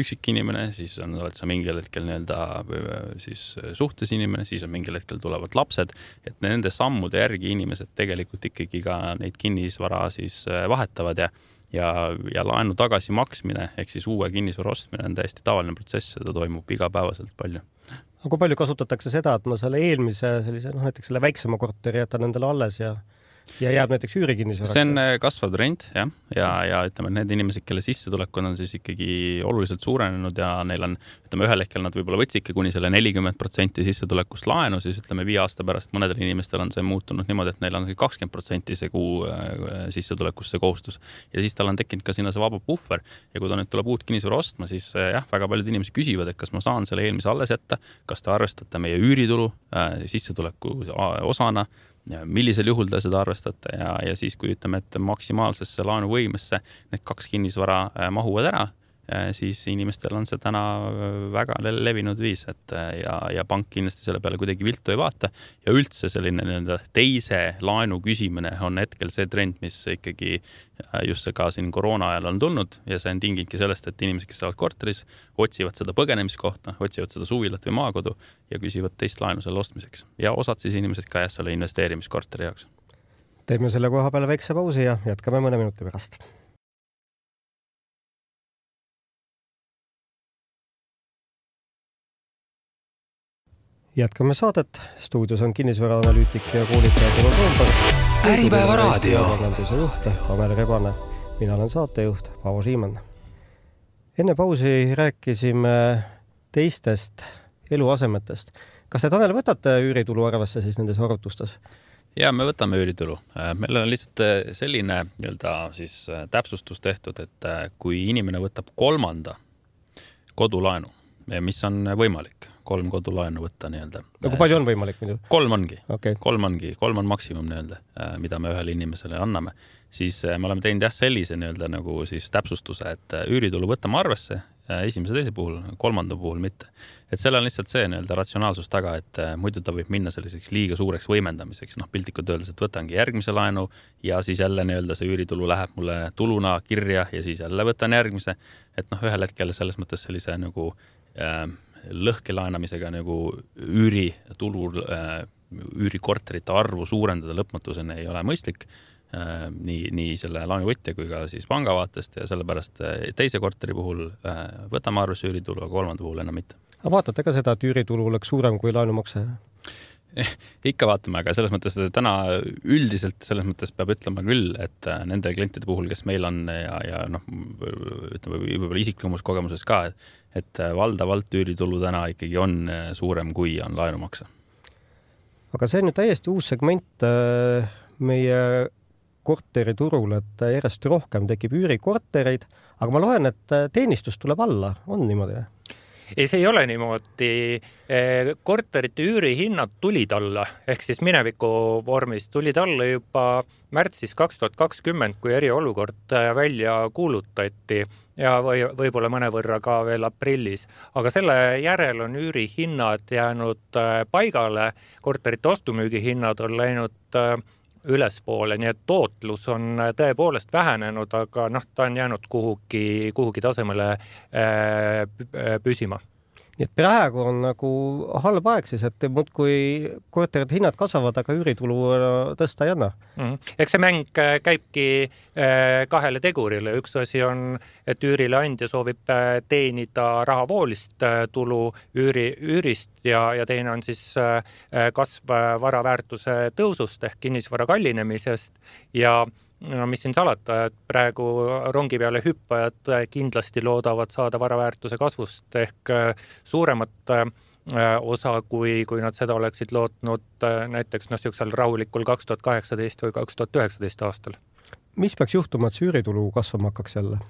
üksik inimene, siis on, oled sa mingil hetkel nii-öelda siis suhtes inimene, siis on mingil hetkel tulevad lapsed, et nende sammude järgi inimesed tegelikult ikkagi ka neid kinnisvara siis vahetavad ja ja, ja laenu tagasi maksmine, ehk siis uue kinnisvara ostmine on täiesti tavaline protsess, seda toimub igapäevaselt palju. Aga kui palju kasutatakse seda, et ma selle eelmise sellise, noh, näiteks selle väiksema korteri jätan endale alles ja ja jääb näiteks üürikinnisvaraks? See on kasvav trend, jah. Ja, ja ütleme, need inimesed, kelle sissetulekud on siis ikkagi oluliselt suurenenud ja neil on, ütleme, ühel hetkel nad võib-olla võtsidki kuni selle nelikümmend protsenti sissetulekust laenu, siis ütleme, viie aasta pärast mõnedel inimestel on see muutunud niimoodi, et neil on kakskümmend protsenti see kuu sissetulekust see kohustus. Ja siis tal on tekkinud ka sinna see vaba puhver. Ja kui ta nüüd tuleb uut kinnisvara ostma, siis jah, väga paljud inimesed küsivad, et kas ma saan selle eelmise alles jätta, kas te arvestate meie üüritulu sissetuleku osana, millisel juhul te seda arvestate ja, ja siis, kui ütleme, et maksimaalsesse laenuvõimesse need kaks kinnisvara mahuvad ära, siis inimestel on see täna väga levinud viis, et ja, ja pank kindlasti selle peale kuidagi viltu ei vaata ja üldse selline nii-öelda teise laenu küsimine on hetkel see trend, mis ikkagi just ka siin koroona ajal on tulnud ja see on tinginudki sellest, et inimesed, kes elavad korteris, otsivad seda põgenemiskohta, otsivad seda suvilat või maakodu ja küsivad teist laenu selle ostmiseks. Ja osad siis inimesed ka jah selle investeerimiskorteri jaoks. Teeme selle koha peale väikse pausi ja jätkame mõne minuti pärast. Jätkame saadet. Stuudios on kinnisvaraanalüütik ja koolitaja Tõnu Toomberg. Äripäeva raadio. Juht Amel Rebane. Mina olen saatejuht Paavo Siimann. Enne pausi rääkisime teistest eluasemetest. Kas te, Tanel, võtate üüritulu arvesse siis nendes arvutustes? Ja me võtame üüritulu. Meil on lihtsalt selline nii-öelda siis täpsustus tehtud, et kui inimene võtab kolmanda kodulaenu, mis on võimalik, kolm kodulaenu võtta nii-öelda. No kui palju on võimalik muidu? Kolm ongi. Okay. Kolm ongi. Kolm on maksimum nii-öelda, mida me ühele inimesele anname. Siis me oleme teinud jah sellise nii-öelda nagu siis täpsustuse, et üüritulu võtame arvesse esimese teise puhul, kolmanda puhul mitte. Et seal on lihtsalt see nii-öelda ratsionaalsus taga, et muidu ta võib minna selliseks liiga suureks võimendamiseks. Noh, piltlikult öeldes, et võtangi järgmise laenu ja siis jälle nii-öelda see üüritulu läheb mulle tuluna kirja ja siis jälle võtan järgmise. Et noh, ühel hetkel selles mõttes sellise nagu äh, lõhke laenamisega nagu üüri tulul äh, üürikorterite arvu suurendada lõpmatuseni ei ole mõistlik. Nii, nii selle laenuvõtja kui ka siis panga vaatest ja sellepärast teise korteri puhul võtame arvesse üüritulu, aga kolmanda puhul enam mitte. Aga vaatate ka seda, et üüritulu oleks suurem kui laenumakse? Eh, ikka vaatame, aga selles mõttes täna üldiselt selles mõttes peab ütlema küll, et nende klientide puhul, kes meil on ja, ja noh, ütleme võib-olla isiklikus kogemuses ka, et valdavalt üüritulu täna ikkagi on suurem kui on laenumakse. Aga see on ju täiesti uus segment meie korteriturul, et järjest rohkem tekib üürikortereid, aga ma loen, et teenistus tuleb alla, on niimoodi? Ei, see ei ole niimoodi. Korterite üürihinnad tulid alla, ehk siis mineviku vormis tulid alla juba märtsis kaks tuhat kakskümmend, kui eriolukord välja kuulutati ja või, võib-olla mõnevõrra ka veel aprillis. Aga selle järel on üürihinnad jäänud paigale, korterite ostumüügihinnad on läinud ülespoole, nii et tootlus on tõepoolest vähenenud, aga noh, ta on jäänud kuhugi, kuhugi tasemele püsima. Nii et praegu on nagu halb aeg siis, et muud kui korterite hinnad kasvavad, aga üüritulu tõsta ei anna. Mm-hmm. Eks see mäng käibki kahele tegurile. Üks asi on, et üürileandja soovib teenida rahavoolist tulu üüri, üürist ja, ja teine on siis kasv varaväärtuse tõusust ehk kinnisvara kallinemisest ja no mis siin salata, et praegu rongi peale hüppajad kindlasti loodavad saada varaväärtuse kasvust ehk suuremat osa, kui, kui nad seda oleksid lootnud näiteks no, siuksel rahulikul kaks tuhat kaheksateist või kaks tuhat üheksateist aastal. Mis peaks juhtuma, et see üüritulu kasvama hakkaks jälle?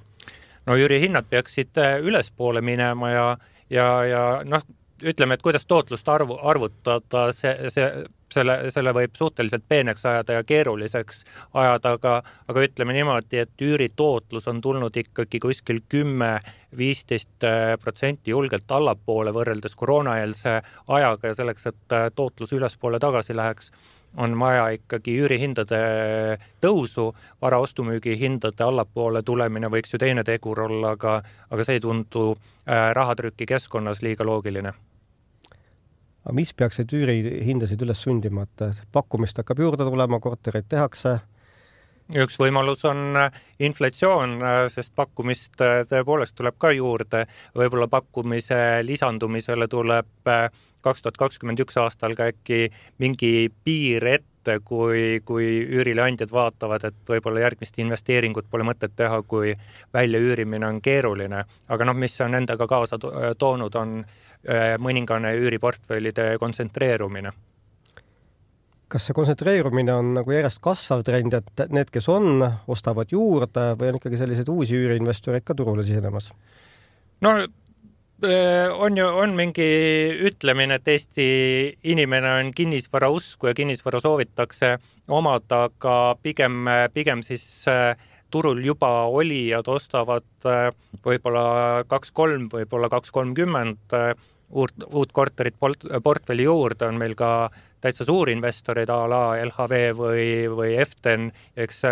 No üürihinnad peaksid ülespoole minema ja, ja, ja noh, ütleme, et kuidas tootlust arvu, arvutada, see, see Selle, selle võib suhteliselt peeneks ajada ja keeruliseks ajada, aga, aga ütleme niimoodi, et üüri tootlus on tulnud ikkagi kuskil kümme viisteist protsenti julgelt allapoole võrreldes koroonaeelse ajaga ja selleks, et tootlus ülespoole tagasi läheks, on vaja ikkagi üürihindade tõusu, varaostumüügi hindade allapoole tulemine võiks ju teine tegur olla, aga, aga see ei tundu rahatrüki keskkonnas liiga loogiline. Aga mis peaks neid üürihindasid üles sundima, et pakkumist hakkab juurde tulema, kortereid tehakse? Üks võimalus on inflatsioon, sest pakkumist tõepoolest tuleb ka juurde. Võib-olla pakkumise lisandumisele tuleb kaks tuhat kakskümmend üks aastal ka äkki mingi piir ette, kui, kui üürileandjad vaatavad, et võib-olla järgmist investeeringut pole mõtet teha, kui välja üürimine on keeruline. Aga noh, mis on endaga kaasa toonud, on mõningane üüriportfellide kontsentreerumine. Kas see kontsentreerumine on nagu järjest kasvav trend, et need, kes on, ostavad juurde või on ikkagi sellised uusi üüriinvestoreid ka turule sisenemas? No on ju on mingi ütlemine, et Eesti inimene on kinnisvara usku ja kinnisvara soovitakse omada, aga pigem, pigem siis turul juba olijad ostavad võib-olla kaks kolm, võib-olla kaks kolmkümmend uut, uut korterit portfelli juurde, on meil ka täitsa suurinvestorid a la L H V või, või Eften, eks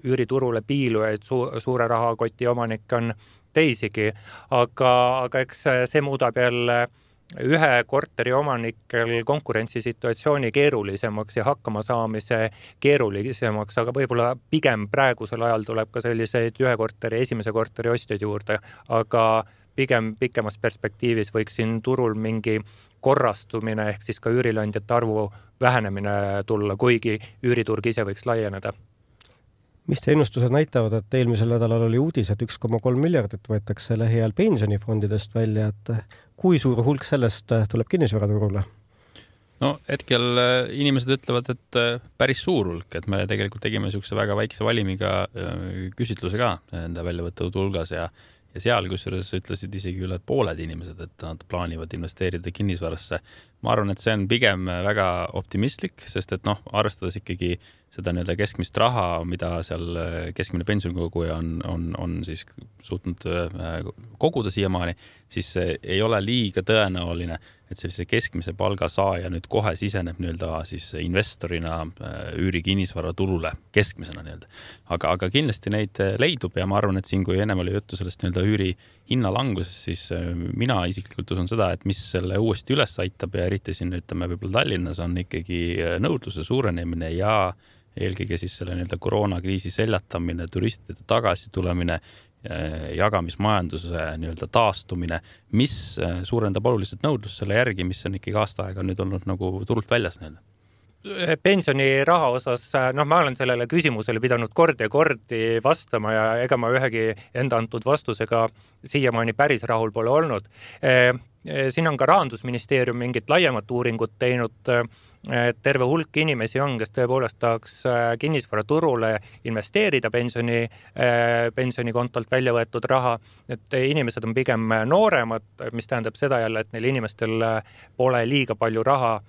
üüriturule piilujaid su, suure rahakoti omanik on teisigi, aga, aga eks see muudab jälle ühe korteri omanikel konkurentsisituatsiooni keerulisemaks ja hakkama saamise keerulisemaks, aga võib-olla pigem praegusel ajal tuleb ka selliseid ühe korteri, esimese korteri ostjaid juurde, aga pigem pikemas perspektiivis võiks siin turul mingi korrastumine ehk siis ka üürileandjate arvu vähenemine tulla, kuigi üüriturg ise võiks laieneda. Mis te ennustused näitavad, et eelmisel nädalal oli uudis, et üks koma kolm miljardit võetakse lähiajal pensionifondidest välja, et kui suur hulk sellest tuleb kinnisvaraturule? No hetkel inimesed ütlevad, et päris suur hulk, et me tegelikult tegime niisuguse väga väikse valimiga küsitluse ka enda väljavõttud hulgas ja ja seal, kusjuures ütlesid isegi üle pooled inimesed, et nad plaanivad investeerida kinnisvarasse. ma arvan, et see on pigem väga optimistlik, sest et noh, arvestades ikkagi seda nii-öelda keskmist raha, mida seal keskmine pensionikoguja on, on, on siis suutnud koguda siiamaani, siis ei ole liiga tõenäoline, et sellise keskmise palga saaja nüüd kohe siseneb nii-öelda siis investorina üüri kinnisvara turule keskmisena nii-öelda. Aga, aga kindlasti neid leidub ja ma arvan, et siin, kui ennem oli juttu sellest nii-öelda üüri hinnalanguses, siis mina isiklikult usun seda, et mis selle uuesti üles aitab ja eriti siin ütleme võib-olla Tallinnas on ikkagi nõudluse suurenemine ja eelkõige siis selle nii-öelda koroonakriisi seljatamine, turistide tagasi tulemine, jagamismajanduse nii-öelda taastumine, mis suurendab oluliselt nõudlust selle järgi, mis on ikkagi aasta aega nüüd olnud nagu turult väljas nii-öelda. Pensioniraha osas, noh, ma olen sellele küsimusele pidanud kord ja kordi vastama ja ega ma ühegi enda antud vastusega siiamaani päris rahul pole olnud. Siin on ka Rahandusministeerium mingit laiemat uuringut teinud, terve hulk inimesi on, kes tõepoolest tahaks kinnisvara turule investeerida pensioni, pensionikontolt välja võetud raha, et inimesed on pigem nooremad, mis tähendab seda jälle, et neil inimestel pole liiga palju raha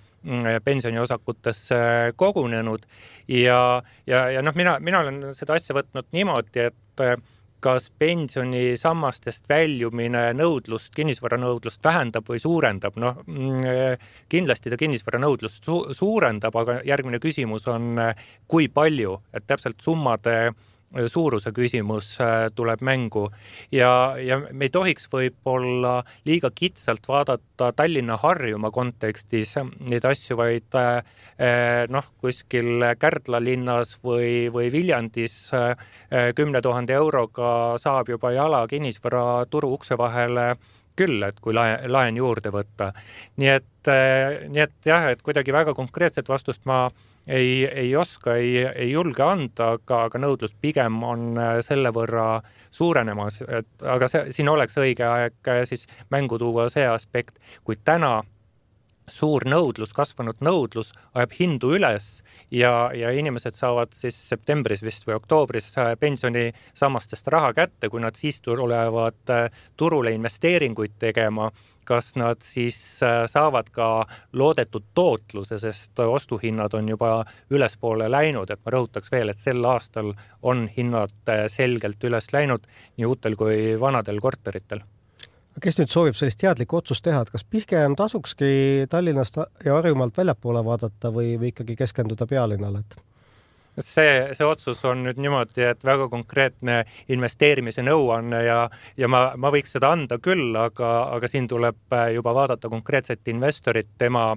pensioniosakutesse kogunenud ja, ja, ja noh, mina, mina olen seda asja võtnud niimoodi, et kas pensionisammastest väljumine nõudlust, kinnisvara nõudlust vähendab või suurendab. Noh, kindlasti ta kinnisvara nõudlust su- suurendab, aga järgmine küsimus on, kui palju, et täpselt summade suuruse küsimus tuleb mängu ja, ja me ei tohiks võib-olla liiga kitsalt vaadata Tallinna Harjumaa kontekstis neid asju, vaid noh, kuskil Kärdla linnas või, või Viljandis kümne tuhande euroga saab juba jala kinnisvara turu ukse vahele küll, et kui laen, laen juurde võtta. Nii et, nii et jah, et kuidagi väga konkreetset vastust ma ei, ei oska, ei, ei julge anda, aga, aga nõudlus pigem on selle võrra suurenemas. Et, aga see, siin oleks õige aeg siis mängu tuua see aspekt, kui täna suur nõudlus, kasvanud nõudlus ajab hindu üles ja, ja inimesed saavad siis septembris vist või oktoobris pensioni sammastest raha kätte, kui nad siis tulevad turule investeeringuid tegema, kas nad siis saavad ka loodetud tootluse, sest ostuhinnad on juba ülespoole läinud, et ma rõhutaks veel, et sel aastal on hinnad selgelt üles läinud nii uutel kui vanadel korteritel. Kes nüüd soovib sellist teadlikku otsust teha, et kas pigem tasukski Tallinnast ja Harjumaalt väljapoole vaadata või, või ikkagi keskenduda pealinnale? See, see otsus on nüüd niimoodi, et väga konkreetne investeerimise nõuanne ja, ja ma, ma võiks seda anda küll, aga, aga siin tuleb juba vaadata konkreetset investorit, tema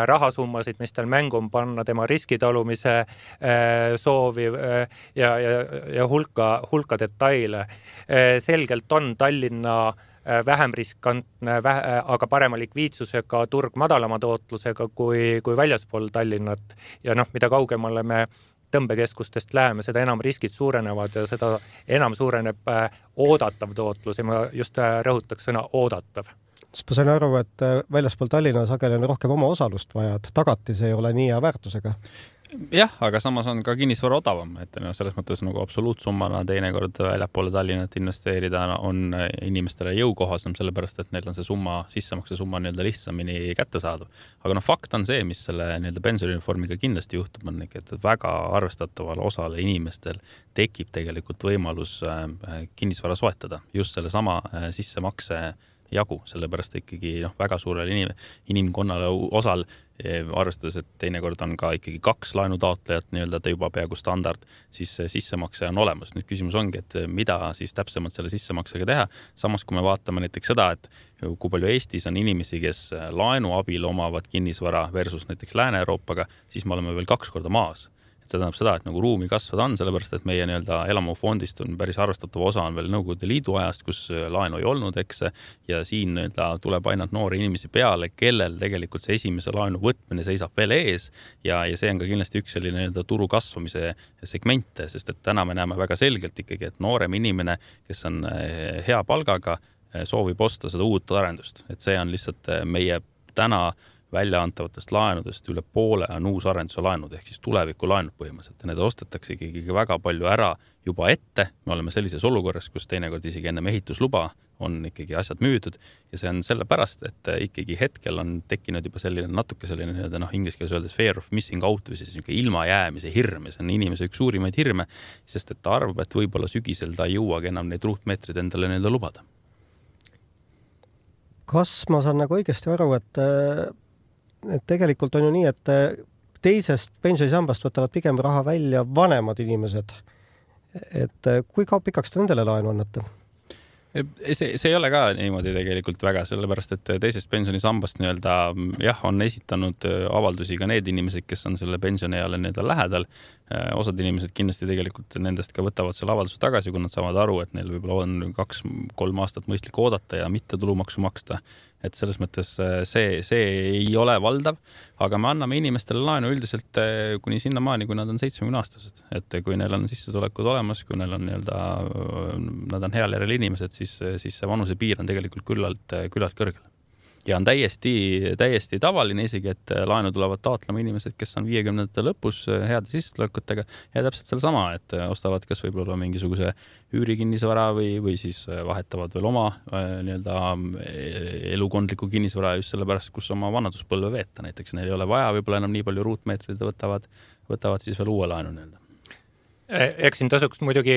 rahasummasid, mis tal mängu on panna, tema riskitalumise soovi ja, ja, ja hulka, hulka detaile. Selgelt on Tallinna vähem riskantne, aga parema likviidsusega turg madalama tootlusega kui, kui väljaspool Tallinnat. Ja noh, mida kaugemale me tõmbekeskustest läheme, seda enam riskid suurenevad ja seda enam suureneb oodatav tootlus ja ma just rõhutaks sõna oodatav. Ma sain aru, et väljaspool Tallinna sageli on rohkem oma osalust vaja, et tagatis ei ole nii hea väärtusega. Jah, aga samas on ka kinnisvara odavam, et no, selles mõttes nagu absoluutsummana teinekord väljapoole Tallinnat investeerida on inimestele jõukohasem, sellepärast, et neil on see summa, sissemakse summa nii-öelda lihtsamini kättesaadav. Aga no fakt on see, mis selle nii-öelda pensionireformiga kindlasti juhtub, on ikka, et väga arvestataval osale inimestel tekib tegelikult võimalus kinnisvara soetada just selle sama sissemakse jagu, sellepärast ikkagi noh, väga suurel inim, inimkonnale osal arvestades, et teinekord on ka ikkagi kaks laenutaotlejat nii-öelda ta juba peaaegu standard, siis sissemakse on olemas. Nüüd küsimus ongi, et mida siis täpsemalt selle sissemaksega teha. Samas, kui me vaatame näiteks seda, et kui palju Eestis on inimesi, kes laenu abil omavad kinnisvara versus näiteks Lääne-Euroopaga, siis me oleme veel kaks korda maas. See tähendab seda, et nagu ruumi kasvada on, sellepärast, et meie nii-öelda elamufondist on päris arvestatav osa on veel Nõukogude Liidu ajast, kus laenu ei olnud, eks, ja siin nii-öelda tuleb ainult noori inimesi peale, kellel tegelikult see esimese laenu võtmine seisab veel ees ja, ja see on ka kindlasti üks selline nii-öelda turu kasvamise segmente, sest et täna me näeme väga selgelt ikkagi, et noorem inimene, kes on hea palgaga, soovib osta seda uut arendust, et see on lihtsalt meie täna välja antavatest laenudest üle poole on uusarenduse laenud ehk siis tuleviku laenud põhimõtteliselt ja need ostetakse ikkagi väga palju ära juba ette. Me oleme sellises olukorras, kus teinekord isegi enne ehitusluba on ikkagi asjad müüdud ja see on sellepärast, et ikkagi hetkel on tekkinud juba selline natuke selline nii-öelda noh, inglise keeles öeldes fear of missing out või siis niisugune ilmajäämise hirm ja see on inimese üks suurimaid hirme, sest et ta arvab, et võib-olla sügisel ta ei jõuagi enam neid ruutmeetrid endale nii-öelda lubada. Kas ma saan nagu õigesti aru, et, et tegelikult on ju nii, et teisest pensionisambast võtavad pigem raha välja vanemad inimesed, et kui kaua pikaks te nendele laenu annate? See, see ei ole ka niimoodi tegelikult väga, sellepärast, et teisest pensionisambast nii-öelda, jah, on esitanud avaldusi ka need inimesed, kes on selle pensionieale nii-öelda lähedal. Osad inimesed kindlasti tegelikult nendest ka võtavad selle avalduse tagasi, kui nad saavad aru, et neil võib-olla on kaks-kolm aastat mõistlik oodata ja mitte tulumaksu maksta. Et selles mõttes see, see ei ole valdav, aga me anname inimestele laenu üldiselt kuni sinna maani, kui nad on seitsmekümne aastased. Et kui neil on sissetulekud olemas, kui neil on nii-öelda, nad on heal järel inimesed, siis, siis see vanuse piir on tegelikult küllalt, küllalt kõrgel. Ja on täiesti, täiesti tavaline isegi, et laenu tulevad taotlema inimesed, kes on viiekümnendate lõpus heade sissetulekutega ja täpselt selle sama, et ostavad kas võib-olla mingisuguse üürikinnisvara või, või siis vahetavad veel oma nii-öelda elukondliku kinnisvara just sellepärast, kus oma vanaduspõlve veeta. Näiteks neil ei ole vaja võib-olla enam nii palju ruutmeetrid, võtavad, võtavad siis veel uue laenu nii-öelda. Eks siin tasuks muidugi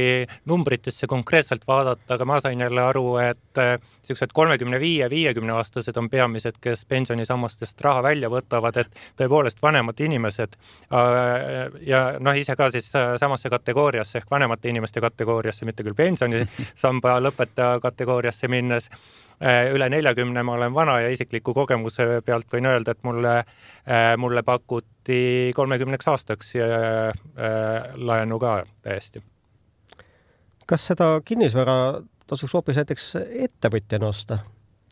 numbritesse konkreetselt vaadata, aga ma sain jälle aru, et sellised kolmekümne viie viiekümne aastased on peamised, kes pensionisammastest raha välja võtavad, et tõepoolest vanemad inimesed ja noh, ise ka siis samasse kategooriasse ehk vanemate inimeste kategooriasse, mitte küll pensionisamba lõpetaja kategooriasse minnes. Üle neljakümne ma olen vana ja isikliku kogemuse pealt võin öelda, et mulle, mulle pakuti kolmekümneks aastaks laenu ka täiesti. Kas seda kinnisvara tasuks hoopis näiteks ettevõtjana osta,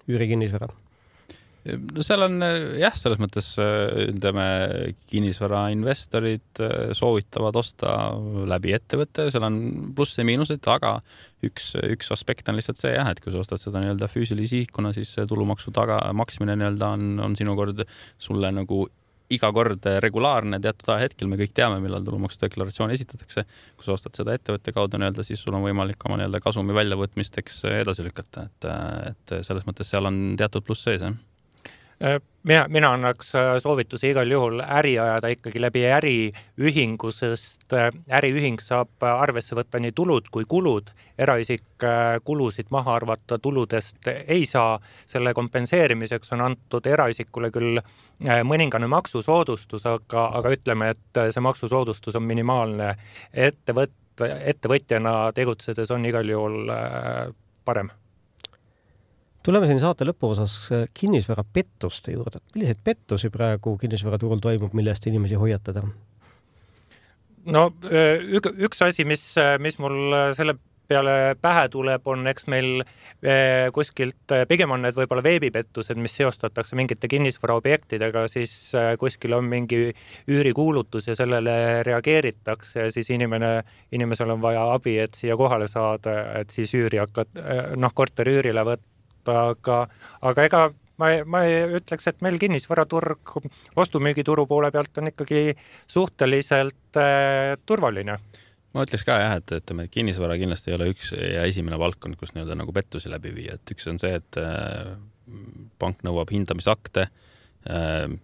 üürikinnisvara? No seal on jah, selles mõttes ütleme, kinnisvara investorid soovitavad osta läbi ettevõtte, seal on plusse ja miinused, aga üks, üks aspekt on lihtsalt see jah, et kui sa ostad seda nii-öelda füüsilise isikuna, siis tulumaksu taga maksmine nii-öelda on, on sinu kord sulle nagu iga kord regulaarne teatud aja hetkel, me kõik teame, millal tulumaksudeklaratsioon esitatakse. Kui sa ostad seda ettevõtte kaudu nii-öelda, siis sul on võimalik oma nii-öelda kasumi väljavõtmisteks edasi lükata, et, et selles mõttes seal on teatud pluss sees, jah. Mina, mina annaks soovituse igal juhul äri ajada ikkagi läbi äriühingu, sest äriühing saab arvesse võtta nii tulud kui kulud. Eraisik kulusid maha arvata tuludest ei saa. Selle kompenseerimiseks on antud eraisikule küll mõningane maksusoodustus, aga, aga ütleme, et see maksusoodustus on minimaalne. Ettevõt, ettevõtjana tegutsedes on igal juhul parem. Tuleme siin saate lõpuosas kinnisvara pettuste juurde. Milliseid pettusi praegu kinnisvaraturul toimub, millest inimesi hoiatada? No üks asi, mis, mis mul selle peale pähe tuleb, on eks meil kuskilt, pigem on need võib-olla veebipettused, mis seostatakse mingite kinnisvaraobjektidega, siis kuskil on mingi üürikuulutus ja sellele reageeritakse ja siis inimene, inimesel on vaja abi, et siia kohale saada, et siis üüri hakkad, noh, korteri üürile võtta. Aga, aga ega ma, ma ütleks, et meil kinnisvaraturg ostumüügituru poole pealt on ikkagi suhteliselt äh, turvaline. Ma ütleks ka jah, et, et kinnisvara kindlasti ei ole üks ja esimene valdkond, kus nii-öelda nagu pettusi läbi viia. Et üks on see, et äh, pank nõuab hindamisakte.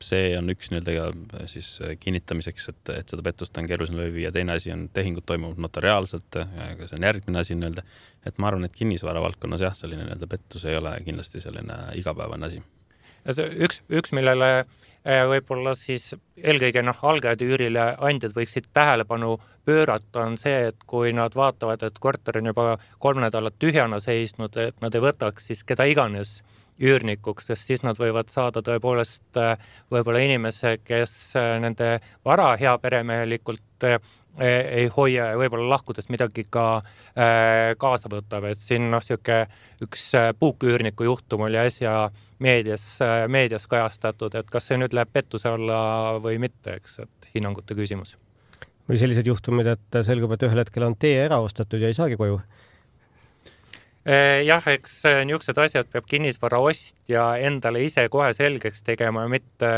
See on üks nii-öelda siis kinnitamiseks, et, et seda pettust on keeruline läbi viia. Teine asi on tehingud toimuvad notariaalselt, aga see on järgmine asi nii-öelda. Et ma arvan, et kinnisvara valdkonnas jah, selline nii-öelda pettus ei ole kindlasti selline igapäevane asi. Et üks, üks, millele võib-olla siis eelkõige noh, algajad üürile andjad võiksid tähelepanu pöörata, on see, et kui nad vaatavad, et korter on juba kolm nädalat tühjana seisnud, et nad ei võtaks siis keda iganes üürnikuks, sest siis nad võivad saada tõepoolest võib-olla inimese, kes nende vara hea peremehelikult ei hoia ja võib-olla lahkudes midagi ka kaasa võtab. Et siin noh, siuke üks puuküürniku juhtum oli äsja meedias, meedias kajastatud, et kas see nüüd läheb pettuse alla või mitte, eks, et hinnangute küsimus. Või sellised juhtumid, et selgub, et ühel hetkel on tee ära ostetud ja ei saagi koju? Jah, eks niisugused asjad peab kinnisvara ostja endale ise kohe selgeks tegema ja mitte,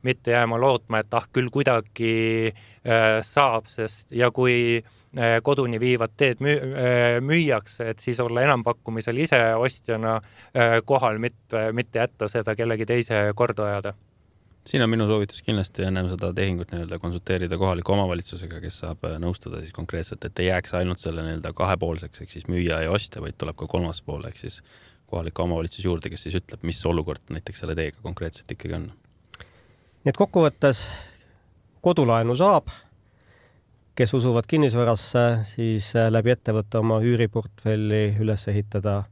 mitte jääma lootma, et ah, küll kuidagi saab, sest ja kui koduni viivad teed müüakse, et siis olla enampakkumisel ise ostjana kohal, mitte, mitte jätta seda kellegi teise korda ajada. Siin on minu soovitus kindlasti ennem seda tehingut nii-öelda konsulteerida kohaliku omavalitsusega, kes saab nõustada siis konkreetselt, et ei jääks ainult selle nii-öelda kahepoolseks, ehk siis müüja ja ostja, vaid tuleb ka kolmas pool, ehk siis kohaliku omavalitsus juurde, kes siis ütleb, mis olukord näiteks selle teega konkreetselt ikkagi on. Nii et kokkuvõttes kodulaenu saab, kes usuvad kinnisvarasse, siis läbi ettevõtte oma üüriportfelli üles ehitada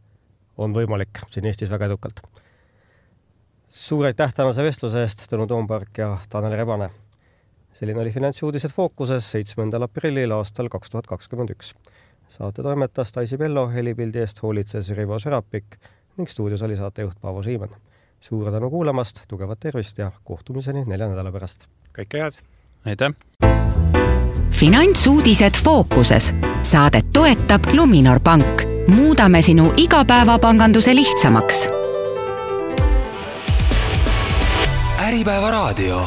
on võimalik siin Eestis väga edukalt. Suur aitäh tänase vestluse eest, Tõnu Toompark ja Tanel Rebane. Selline oli Finantsuudised Fookuses seitsmendal aprillil aastal kaks tuhat kakskümmend üks. Saate toimetas Taisi Pello, helipildi eest hoolitses Rivo Serapik ning stuudios oli saatejuht Paavo Siimen. Suur tänu kuulamast, tugevat tervist ja kohtumiseni nelja nädala pärast. Kõike head! Aitäh! Finantsuudised Fookuses. Saadet toetab Luminor Pank. Muudame sinu igapäevapanganduse lihtsamaks. Äripäeva raadio.